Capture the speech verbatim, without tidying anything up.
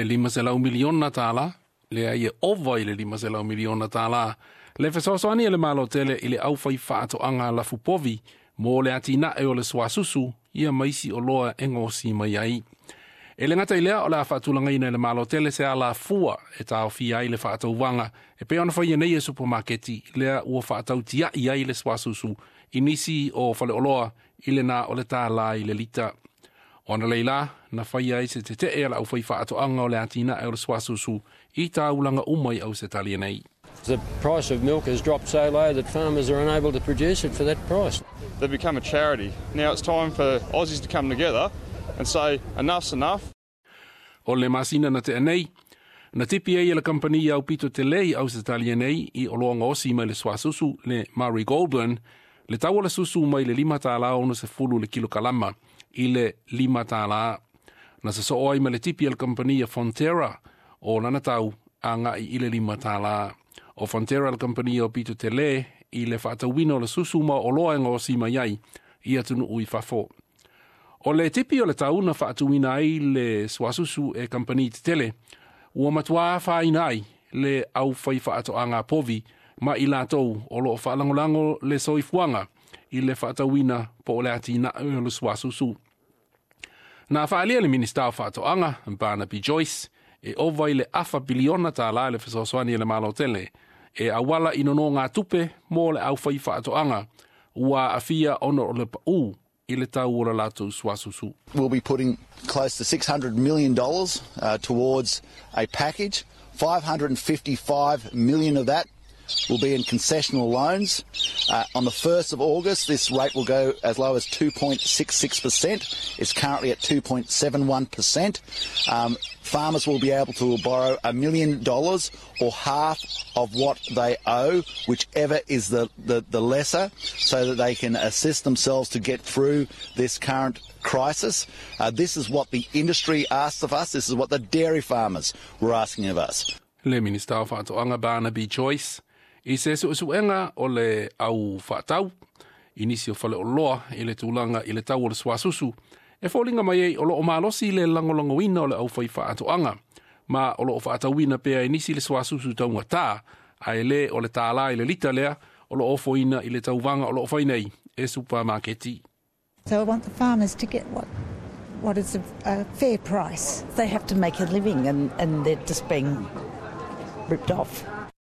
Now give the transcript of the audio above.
E lima selau miliona tālā, lea ia ova i le lima selau miliona tālā, le fesoasoani a le Malo tele i le aufaifaatoaga lafupovi mo le atinae o le suasusu ia ma isi oloa e gaosi mai ai. E le gata i lea o le a faatulagaina e le Malo tele se alafua e taofia ai le faatauvaga e pei ona faia nei e supamaketi lea ua faatautiai ai le suasusu i nisi o faleoloa i le na o le tālā i le lita. Ona leila, na faia ai se tetee a le aufaifaatoaga o le atinae o le suasusu i taulaga uma i Ausetalia nei. The price of milk has dropped so low that farmers are unable to produce it for that price. They've become a charity. Now it's time for Aussies to come together and say enough's enough. O le masina na tea nei, na tipi ai e le kampani aupito tele i Ausetalia nei i oloa gaosi mai le suasusu le Murray Goulburn, le tau o le susu mai le lima tālā ono sefulu le kilokalama i le lima tālā. Na sosoo ai ma le tipi a le kampani a Fonterra o lana tau agai i le lima tālā. O Fonterra le kampani aupito tele i le faatauina o le susu ma oloa e gaosi mai ai i atunuu i fafo. O le tipi o le tau na faatuina ai le suasusu e kampani tetele, ua matuā afaina ai le aufaifaatoaga povi ma i latou o loo faalagolago le soifuaga i le faatauina po o le atinae o le suasusu. Na faaalia le Minista o Faatoaga, Barnaby Joyce, e ova i le afa piliona tālā le fesoasoani e le Malo tele, e auala i nonogatupe mo le aufaifaatoaga, ua aafia ona o le paū i le tau o le latou suasusu. We'll be putting close to six hundred million dollars uh, towards a package. five hundred fifty-five million of that will be in concessional loans. Uh, on the first of August, this rate will go as low as two point six six percent. It's currently at two point seven one percent. Um, farmers will be able to borrow a million dollars or half of what they owe, whichever is the, the, the lesser, so that they can assist themselves to get through this current crisis. Uh, this is what the industry asked of us. This is what the dairy farmers were asking of us. Le Minista o Faatoaga Barnaby Joyce i se suesuega o le au faatau i nisi o faleoloa i le tulaga i le tau o le suasusu e foliga mai ai o loo malosi le lagolagoina o le aufaifaatoaga ma o loo faatauina pea i nisi le suasusu taugatā ae le o le tālā i le lita lea o loo ofoina i le tauvaga o loo fai nei e supamaketi. So I want the farmers to get what what is a, a fair price. They have to make a living and, and they're just being ripped off.